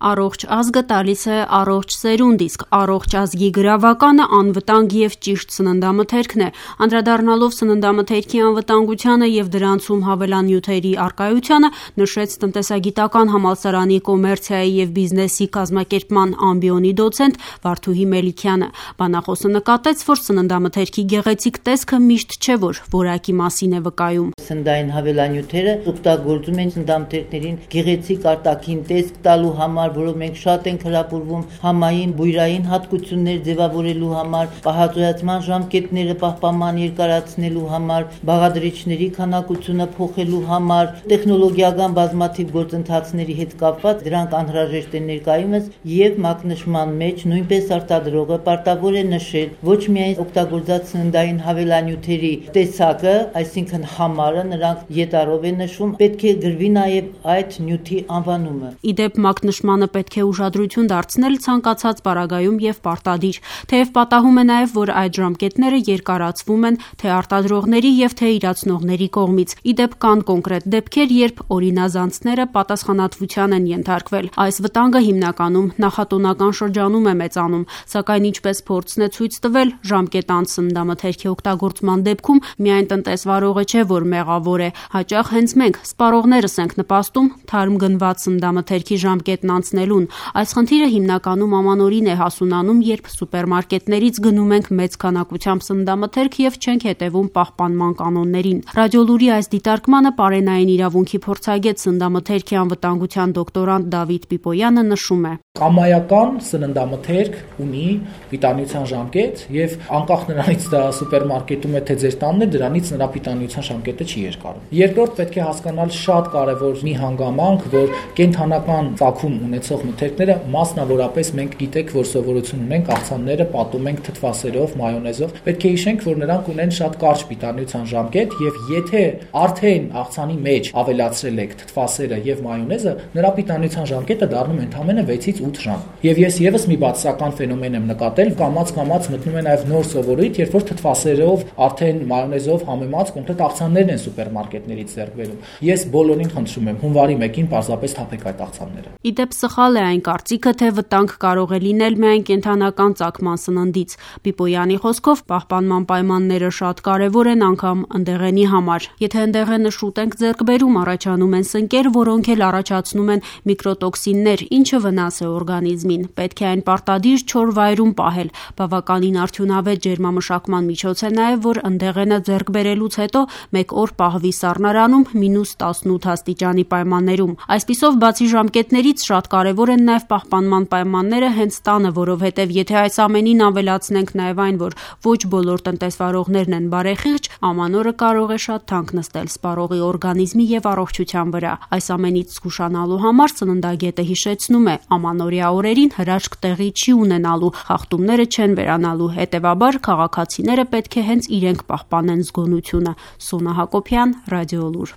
Առողջ ազգը տալիս է առողջ սերունդ, իսկ առողջ ազգի գրավականը անվտանգ և ճիշտ սննդամթերքն է։ Անդրադառնալով սննդամթերքի անվտանգությանը և դրանցում հավելանյութերի առկայությանը, նշեց տնտեսագիտական համալսարանի կոմերցիայի և բիզնեսի կազմակերպման ամբիոնի դոցենտ Վարդուհի Մելիքյանը։ Բանախոսը նկատեց, որ սննդամթերքի գեղեցիկ տեսքը միշտ չէ, որ որակի մասին է վկայում։ Սննդային հավելանյութերը օգտագործում են սննդամթերքներին գեղեցիկ արտաքին տեսք տալու համար, որով մենք շատ ենք հրապուրվում համային, բույրային հատկություններ ձևավորելու համար, պահածոյացման ժամկետները պահպանման երկարացնելու համար, բաղադրիչների քանակությունը փոխելու համար, տեխնոլոգիական բազմաթիվ գործընթացների հետ կապված դրանք անհրաժեշտ են ներկայումս եւ մակնշման մեջ նույնպես արտադրողը պարտավոր է նշել ոչ միայն օգտագործած սննդային հավելանյութերի տեսակը, այսինքն համարը, նրանք ետառով են նշում, պետք է գրվի նաեւ այդ նյութի անվանումը։ Իդեպ մակնշմանը պետք է ուշադրություն դարձնել ցանկացած պարագայում եւ պարտադիր, թեև պատահում է նաեւ, որ այդ ժամկետները երկարացվում են թե արտադրողների եւ թե իրացնողների կողմից։ Իդեպ կան կոնկրետ դեպքեր, երբ օրինազանցները պատասխանատվության են ենթարկվել։ Այս վտանգը հիմնականում նախատոնական շրջանում է մեծանում, սակայն ինչպես փորձն է ցույց տվել, ժամկետ անց սննդամթերքի օգտագործման դեպքում միայն տնտեսվարողը չէ, որ մեղավոր է, հաճախ հենց մենք սպառողներս ենք նպաստում թարմ գնված սննդամթերքի ժամկետն անցնելուն։ Այս խնդիրը հիմնականում ամանորին է հասունանում, երբ սուպերմարկետներից գնում ենք մեծ քանակությամբ սննդամթերք եւ չենք հետեւում պահպանման կանոններին։ Ռադիոլուրի այս դիտարկմանը պարենային իրավունքի փորձագետ սննդամթերքի անվտանգության դոկտորանտ Դավիթ Պիպոյանը նշում է. Կամայական սննդամթերք ունի պիտանության ժամկետ եւ անկախ նրանից դա սուպերմարկետում է թե ձեր տանն է, դրանից նրա պիտանության ժամկետը չի երկարում։ Երկրորդ պետք է հասկանալ շատ կարեւոր մի հանգամանք, որ կենթանական ծագում ունեցող մթերքները մասնավորապես մենք գիտեք, որ սովորություն ունենք աղցանները պատում ենք թթվասերով, մայոնեզով, պետք է հիշենք, որ նրանք ունեն շատ կարճ պիտանության ժամկետ եւ եթե արդեն աղցանի մեջ ավելացրել եք թթվասերը եւ մայոնեզը, նրա պիտանության ժամկետը դառնում է ընդամենը 6-ից 8 ժամ։ Եվ ես եւս մի բացասական ֆենոմեն եմ նկատել, կամաց մտնում է նաեւ նոր սովորույթ, երբ որ թթվասերով, արդեն մայոնեզով համեմած կոնկրետ աղցաններն են սուպերմարկետներից ձեռք բերում։ Ես բոլորին խնդրում եմ, հունվարի 1-ին պարզապես թափեք այդ աղցանները։ Իդեպ սխալ է այն կարծիքը, թե վտանգ կարող է լինել միայն կենթանական ծագման սննդից։ Պիպոյանի խոսքով պահպանման պայմանները շատ կարևոր են անգամ ընդեղենի համար։ Եթե ընդեղենը շուտ ենք ձեռք բերում, առաջանում են սնկեր, որոնք էլ առաջացնում են միկրոտոքսիններ, ինչը վնաս է օրգանիզմին։ Պետք է այն պարտադիր չոր վայրում պահել։ Բավականին արդյունավետ ջերմամշակման միջոց է նաև, որ ընդեղենը ձեռք բերելուց հետո 1 օր պահվի սառնարանում -18 աստիճանի պայմաններում։ Այսպիսով, բացի ժամկետներից, շատ կարևոր են նաև պահպանման պայմանները հենց տանը, որովհետև եթե այս ամենին ավելացնենք նաև այն, որ ոչ բոլոր տնտեսվարողներն են բարեխիղճ, ամանորը կարող է շատ թանկ նստել սպառողի օրգանիզմի եւ առողջության վրա։ Այս ամենից զգուշանալու համար սննդագետը հիշեցնում է, ամանորյա օրերին հրաշք տեղի չի ունենալու, խախտումները չեն վերանալու, հետևաբար քաղաքացիները պետք է հենց իրենք պահպանեն զգոնությունը։ Սոնա Հակոբյան, Ռադիոլուր։